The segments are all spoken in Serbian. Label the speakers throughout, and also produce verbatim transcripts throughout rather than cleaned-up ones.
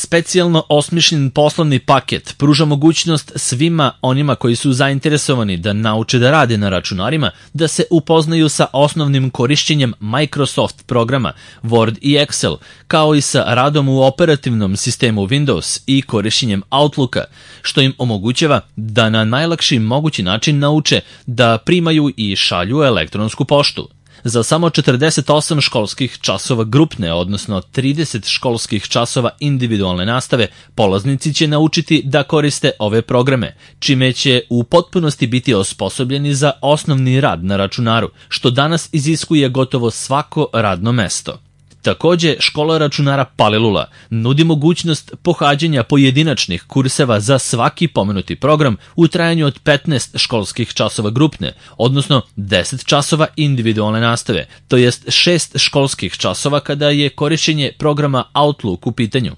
Speaker 1: Specijalno osmišljen poslovni paket pruža mogućnost svima onima koji su zainteresovani da nauče da rade na računarima, da se upoznaju sa osnovnim korišćenjem Microsoft programa Word i Excel, kao i sa radom u operativnom sistemu Windows i korišćenjem Outlooka, što im omogućava da na najlakši mogući način nauče da primaju i šalju elektronsku poštu. Za samo četrdeset osam školskih časova grupne, odnosno trideset školskih časova individualne nastave, polaznici će naučiti da koriste ove programe, čime će u potpunosti biti osposobljeni za osnovni rad na računaru, što danas iziskuje gotovo svako radno mesto. Takođe, škola računara Palilula nudi mogućnost pohađanja pojedinačnih kurseva za svaki pomenuti program u trajanju od petnaest školskih časova grupne, odnosno deset časova individualne nastave, to jest šest školskih časova kada je korišćenje programa Outlook u pitanju.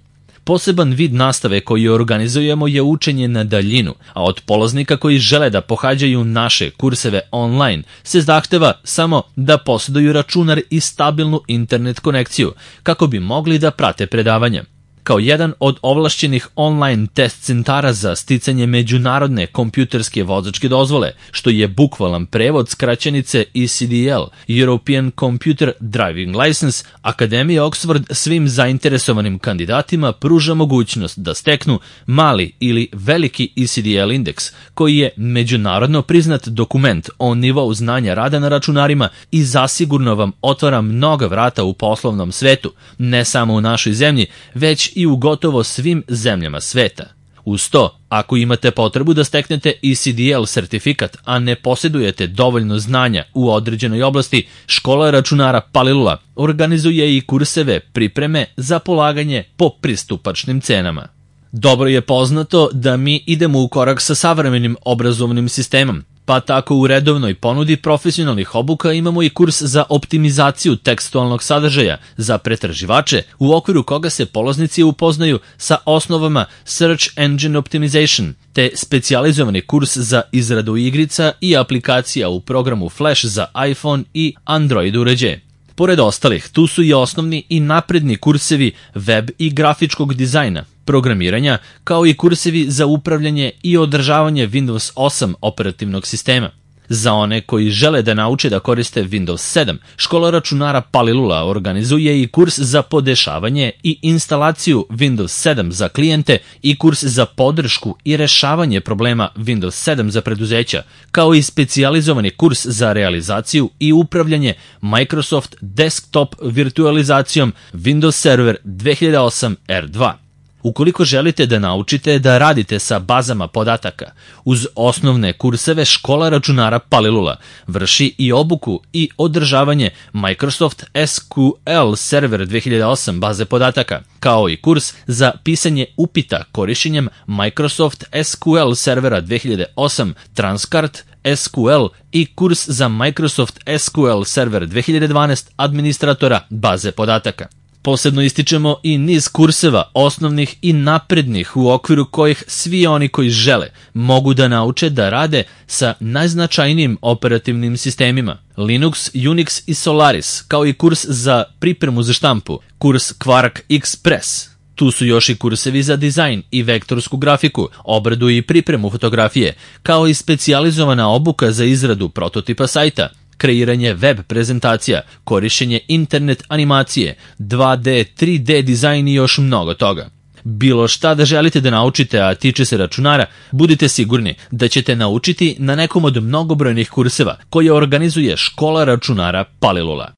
Speaker 1: Poseban vid nastave koji organizujemo je učenje na daljinu, a od polaznika koji žele da pohađaju naše kurseve online se zahteva samo da posjeduju računar i stabilnu internet konekciju kako bi mogli da prate predavanja. Kao jedan od ovlašćenih online test centara za sticanje međunarodne kompjuterske vozačke dozvole, što je bukvalan prevod skraćenice E C D L, European Computer Driving License, Akademija Oxford svim zainteresovanim kandidatima pruža mogućnost da steknu mali ili veliki E C D L indeks, koji je međunarodno priznat dokument o nivou znanja rada na računarima i zasigurno vam otvara mnoga vrata u poslovnom svetu, ne samo u našoj zemlji, već i u gotovo svim zemljama sveta. Uz to, ako imate potrebu da steknete E C D L sertifikat, a ne posjedujete dovoljno znanja u određenoj oblasti, škola računara Palilula organizuje i kurseve pripreme za polaganje po pristupačnim cenama. Dobro je poznato da mi idemo u korak sa savremenim obrazovnim sistemom, pa tako u redovnoj ponudi profesionalnih obuka imamo i kurs za optimizaciju tekstualnog sadržaja za pretraživače, u okviru koga se polaznici upoznaju sa osnovama Search Engine Optimization, te specijalizovani kurs za izradu igrica i aplikacija u programu Flash za iPhone i Android uređaje. Pored ostalih, tu su i osnovni i napredni kursevi web i grafičkog dizajna, programiranja, kao i kursevi za upravljanje i održavanje Windows osam operativnog sistema. Za one koji žele da nauče da koriste Windows sedam, škola računara Palilula organizuje i kurs za podešavanje i instalaciju Windows sedam za klijente i kurs za podršku i rešavanje problema Windows sedam za preduzeća, kao i specijalizovani kurs za realizaciju i upravljanje Microsoft Desktop virtualizacijom Windows Server dve hiljade osam R dva. Ukoliko želite da naučite da radite sa bazama podataka, uz osnovne kurseve škola računara Palilula vrši i obuku i održavanje Microsoft S Q L Server dve hiljade osam baze podataka, kao i kurs za pisanje upita korišćenjem Microsoft S Q L Servera dve hiljade osam Transcart S Q L i kurs za Microsoft S Q L Server dve hiljade dvanaest administratora baze podataka. Posebno ističemo i niz kurseva osnovnih i naprednih u okviru kojih svi oni koji žele mogu da nauče da rade sa najznačajnijim operativnim sistemima Linux, Unix i Solaris, kao i kurs za pripremu za štampu, kurs Quark Express. Tu su još i kursevi za dizajn i vektorsku grafiku, obradu i pripremu fotografije, kao i specijalizovana obuka za izradu prototipa sajta, kreiranje web prezentacija, korišćenje internet animacije, dva D, tri D dizajn i još mnogo toga. Bilo šta da želite da naučite, a tiče se računara, budite sigurni da ćete naučiti na nekom od mnogobrojnih kurseva koje organizuje škola računara Palilula.